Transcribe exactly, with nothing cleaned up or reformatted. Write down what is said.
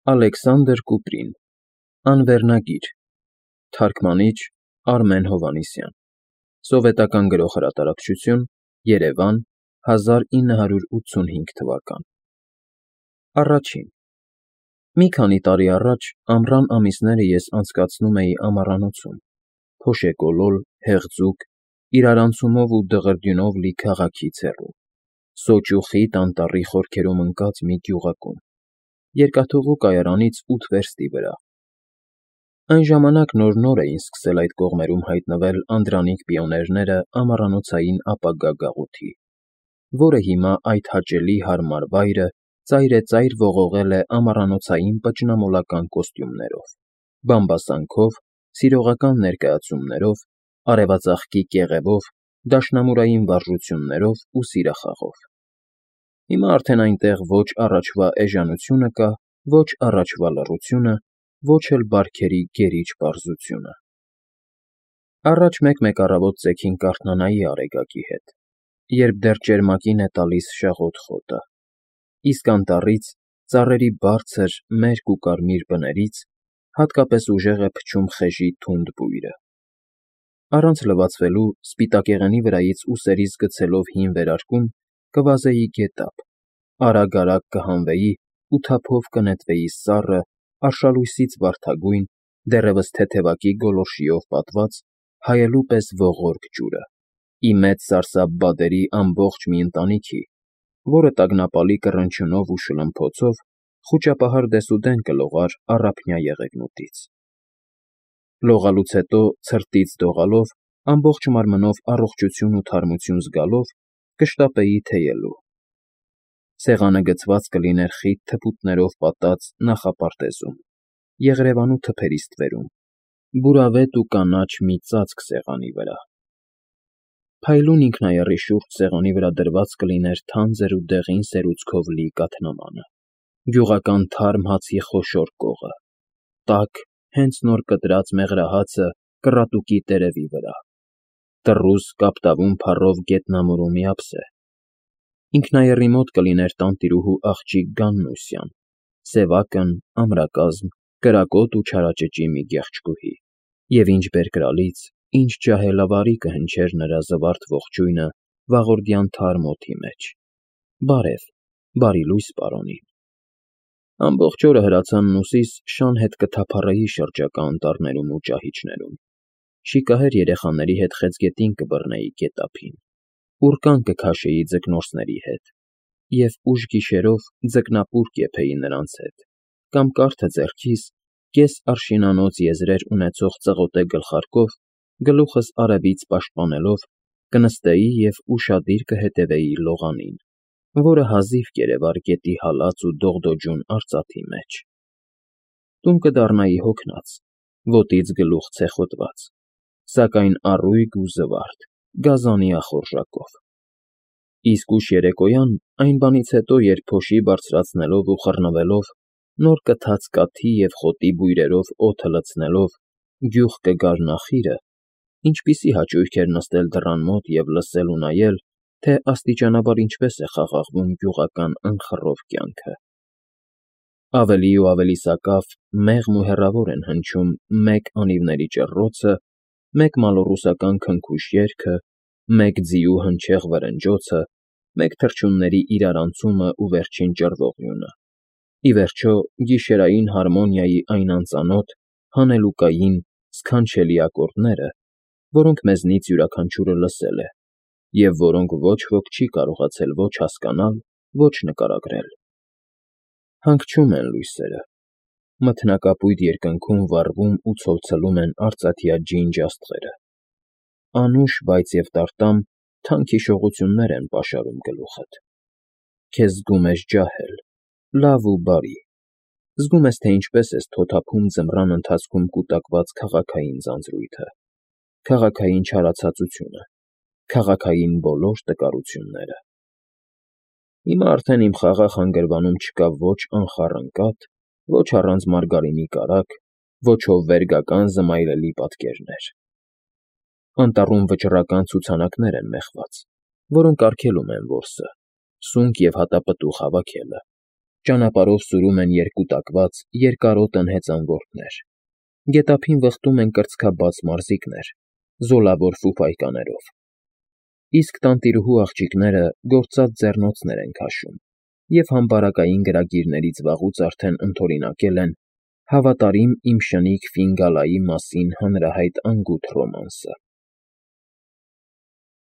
Ալեքսանդր Կուպրին, Անվերնագիր, Թարգմանիչ Արմեն Հովհաննիսյան, Սովետական Գրող֊հրատարակչություն, Երևան, հազար ինը հարյուր ութսունհինգ թվական։ Առաջին Մի քանի տարի առաջ ամռան ամիսները ես անցկացնում էի ամառանոցում, փոշեկոլոր, հեղձուկ, իրարանցումով ու դղրդյունով լի քաղաքից հեռու, սոճ ու խիտ անտառի խորքերում ընկած մի գյուղակում, երկաթուղու կայարանից ութ վերստի վրա։ Այն ժամանակ նոր֊նոր էին սկսել այդ կողմերում հայտնվել անդրանիկ պիոներները ամառանոցային ապագա գաղութի, որը հիմա այդ հաճելի հարմար վայրը ծայրեծայր ողողել է ամառանոցային պճնամոլական կոստյումներով, բամբասանքով, սիրողական ներկայացումներով, արևածաղկի կեղևով, դաշնամուրային վարժություններով ու սիրախաղով։ Հիմա արդեն այնտեղ ոչ առաջվա էժանությունը կա, ոչ առաջվա լռությունը, ոչ էլ բարքերի գերիչ պարզությունը։ Առաջ մեկ֊մեկ առավոտ ծեքին կարթնանայի Արեգակի հետ, երբ դեռ ճերմակին է տալիս շաղոտ խոտը, իսկ անտառից, ծառերի բարձր, մերկ ու կարմիր բներից հատկապես ուժեղ է փչում խեժի թունդ բույրը։ Առանց լվացվելու, սպիտակեղենի վրայից ուսերիս գցելով հին վերարկուն, կվազեի գետափ, արագ֊արագ կհանվեի ու թափով կնետվեի սառը, արշալույսից վարդագույն, դեռևս թեթևակի գոլորշիով պատված, հայելու պես ողորկ ջուրը, ի մեծ սարսափ բադերի ամբողջ մի ընտանիքի, որը տագնապալի կռնչյունով ու շլմփոցով խուճապահար դեսուդեն կլողար առափնյա եղեգնուտից։ Լողալուց հետո, ցրտից դողալով, ամբողջ մարմնով առողջություն ու թարմություն զգալով, կշտապեի թեյելու։ Սեղանը գցված կլիներ խիտ թփուտներով պատած նախապարտեզում, եղրևանու թփերի ստվերում, բուրավետ ու կանաչ մի ծածկ սեղանի վրա։ Փայլուն ինքնայառի շուրջ սեղանի վրա դրված կլիներ թանձր ու դեղին սերուցքով լի կաթնամանը, գյուղական թարմ հացի խոշոր կողը, տաք, հենց նոր կտրած մեղրահացը կռատուկի տերևի վրա, տռուզ կապտավուն փառով գետնամուրու մի ափսե։ Ինքնայեռի մոտ կլիներ տանտիրուհու աղջիկ Գաննուսյան, սևակն, ամրակազմ, կրակոտ ու չարաճճի մի գեղեցկուհի, և ինչ բերկրալից, ինչ ջահելավարի կհնչեր նրա զվարթ ողջույնը վաղորդյան թարմ օդի մեջ։ Բարև, բարի լույս պարոնին։ Ամբողջ օրը հրացանն-ուսիս շան հետ կթափառեի շրջակա անտառներում ու ճահիճներում, շիկահեր երեխաների հետ խեցգետին կբռնեի գետափին, ուռկան կքաշեի ձկնորսների հետ և ուշ գիշերով ձկնապուր կեփեի նրանց հետ, կամ կարթը ձեռքիս, կես արշինանոց եզրեր ունեցող ծղոտե գլխարկով, գլուխս արևից պաշտպանելով, կնստեի և ուշադիր կհետևեի լողանին, որը հազիվ կերևար գետի հալած ու դողդոջուն արծաթի մեջ։ Տուն կդառնայի հոգնած, ոտից գլուխ ցեխոտված, սակայն առույգ ու զվարթ, գազանի ախորժակով։ Իսկ ուշ երեկոյան, այն բանից հետո, երբ փոշի բարձրացնելով ու խռնվելով, նոր կթած կաթի և խոտի բույրերով օդը լցնելով, գյուղ կգար նախիրը, ինչպիսի հաճույք էր նստել դռան մոտ և լսել ու նայել, թե աստիճանաբար ինչպես է խաղաղվում գյուղական ընխռով կյանքը։ Ավելի ու ավելի սակավ, մեղմ ու հեռավոր են հնչում մեկ անիվների ճռռոցը, մեկ մալոռուսական քնքուշ երգը, մեկ ձիու հնչեղ վրնջոցը, մեկ թռչունների իրարանցումը ու վերջին ճռվողյունը, ի վերջո, գիշերային հարմոնիայի այն անծանոթ, հանելուկային, սքանչելի ակորդները, որոնք մեզնից յուրաքանչյուրը լսել է, և որոնք ոչ ոք չի կարողացել ոչ հասկանալ, ոչ նկարագրել։ Հանգչում են լույսերը, մթնակապույտ երկնքում վառվում ու ցոլցլում են արծաթյա ջինջ աստղերը, անուշ, բայց և տարտամ, թանկ հիշողություններ են պաշարում գլուխդ։ Քեզ զգում ես ջահել, լավ ու բարի, զգում ես, թե ինչպես ես թոթափում ձմռան ընթացքում կուտակված քաղաքային ձանձրույթը, քաղաքային չարացածությունը, քաղաքային բոլոր տկարությունները։ Հիմա արդեն իմ խաղաղ հանգրվանում չկա ոչ անխառն կաթ, ոչ առանց մարգարինի կարագ, ոչ հովվերգական զմայլելի պատկերներ։ Անտառում վճռական ցուցանակներ են մեխված, որոնք արգելում են որսը, սունկ և հատապտուղ հավաքելը, Ճանապարհով սուրում են երկուտակված, երկարոտն հեծանվորդներ, գետափին վխտում են կրծքաբաց մարզիկներ, զոլավոր ֆուֆայկաներով, իսկ տանտիրուհու աղջիկները գործած ձեռնոցներ են քաշում և համբարակային գրագիրներից վաղուց արդեն ընդօրինակել են «Հավատարիմ իմ շնիկ Ֆինգալայի» մասին հանրահայտ անգութ ռոմանսը։